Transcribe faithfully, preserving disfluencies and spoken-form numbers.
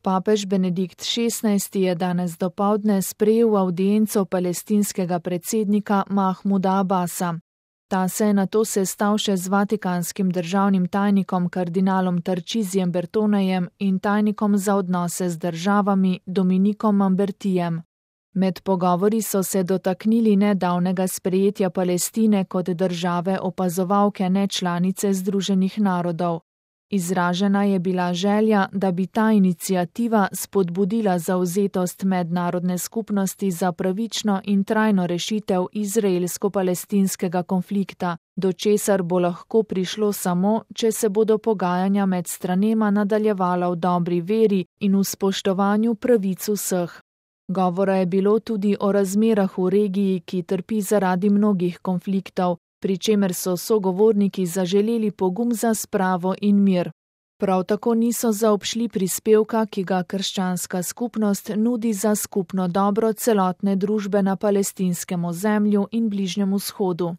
Papež Benedikt šestnajsti je danes dopoldne sprejel avdienco palestinskega predsednika Mahmuda Abasa. Ta se je nato sestal še z vatikanskim državnim tajnikom kardinalom Tarčizijem Bertonejem in tajnikom za odnose z državami Dominikom Mambertijem. Med pogovori so se dotaknili nedavnega sprejetja Palestine kot države opazovalke nečlanice Združenih narodov. Izražena je bila želja, da bi ta iniciativa spodbudila zavzetost mednarodne skupnosti za pravično in trajno rešitev izraelsko-palestinskega konflikta, do česar bo lahko prišlo samo, če se bodo pogajanja med stranema nadaljevala v dobri veri in v spoštovanju pravic vseh. Govora je bilo tudi o razmerah v regiji, ki trpi zaradi mnogih konfliktov, pri čemer so sogovorniki zaželeli pogum za spravo in mir. Prav tako niso zaobšli prispevka, ki ga krščanska skupnost nudi za skupno dobro celotne družbe na palestinskem ozemlju in Bližnjem vzhodu.